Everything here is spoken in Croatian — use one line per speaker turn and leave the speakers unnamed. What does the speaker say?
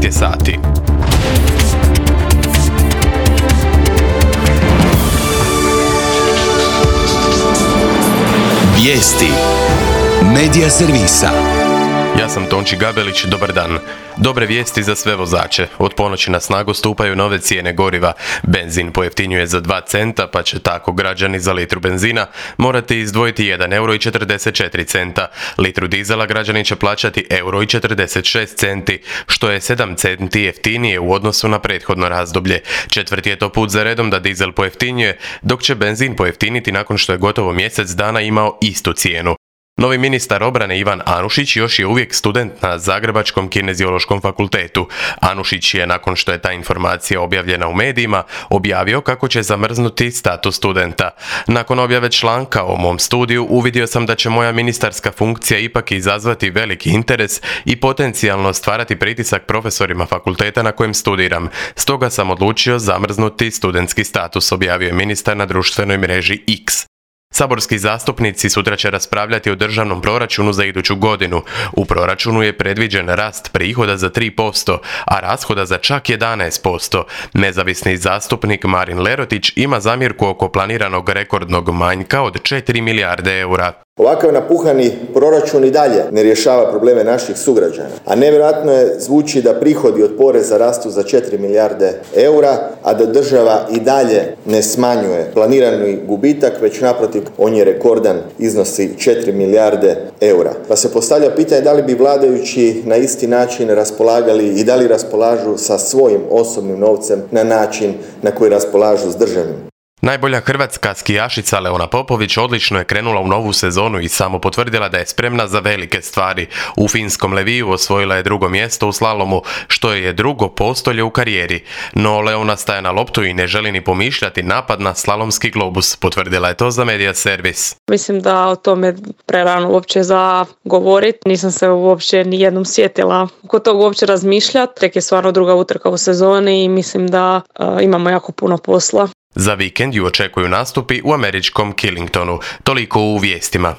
12 je sati.
Vijesti Medija servisa.
Ja sam Tonči Gabelić, dobar dan. Dobre vijesti za sve vozače. Od ponoći na snagu stupaju nove cijene goriva. Benzin pojeftinjuje za 2 centa, pa će tako građani za litru benzina morati izdvojiti 1,44 euro. Litru dizela građani će plaćati 1,46 euro, što je 7 centi jeftinije u odnosu na prethodno razdoblje. Četvrti je to put za redom da dizel pojeftinjuje, dok će benzin pojeftiniti nakon što je gotovo mjesec dana imao istu cijenu. Novi ministar obrane Ivan Anušić još je uvijek student na Zagrebačkom kineziološkom fakultetu. Anušić je, nakon što je ta informacija objavljena u medijima, objavio kako će zamrznuti status studenta. Nakon objave članka o mom studiju uvidio sam da će moja ministarska funkcija ipak izazvati veliki interes i potencijalno stvarati pritisak profesorima fakulteta na kojem studiram. Stoga sam odlučio zamrznuti studentski status, objavio je ministar na društvenoj mreži X. Saborski zastupnici sutra će raspravljati o državnom proračunu za iduću godinu. U proračunu je predviđen rast prihoda za 3%, a rashoda za čak 11%. Nezavisni zastupnik Marin Lerotić ima zamjerku oko planiranog rekordnog manjka od 4 milijarde eura.
Ovakav napuhani proračun i dalje ne rješava probleme naših sugrađana, a nevjerojatno je zvuči da prihodi od poreza rastu za 4 milijarde eura, a da država i dalje ne smanjuje planirani gubitak, već naprotiv on je rekordan, iznosi 4 milijarde eura. Pa se postavlja pitanje da li bi vladajući na isti način raspolagali i da li raspolažu sa svojim osobnim novcem na način na koji raspolažu s državnim.
Najbolja hrvatska skijašica Leona Popović odlično je krenula u novu sezonu i samo potvrdila da je spremna za velike stvari. U finskom Leviju osvojila je 2. mjesto u slalomu, što je 2. postolje u karijeri. No Leona staje na loptu i ne želi ni pomišljati napad na slalomski globus, potvrdila je to za Medija servis.
Mislim da o tome prerano uopće za govorit. Nisam se uopće ni jednom sjetila kod toga uopće razmišljati. Tek je stvarno 2. utrka u sezoni i mislim da imamo jako puno posla.
Za vikend ju očekuju nastupi u američkom Killingtonu. Toliko u vijestima.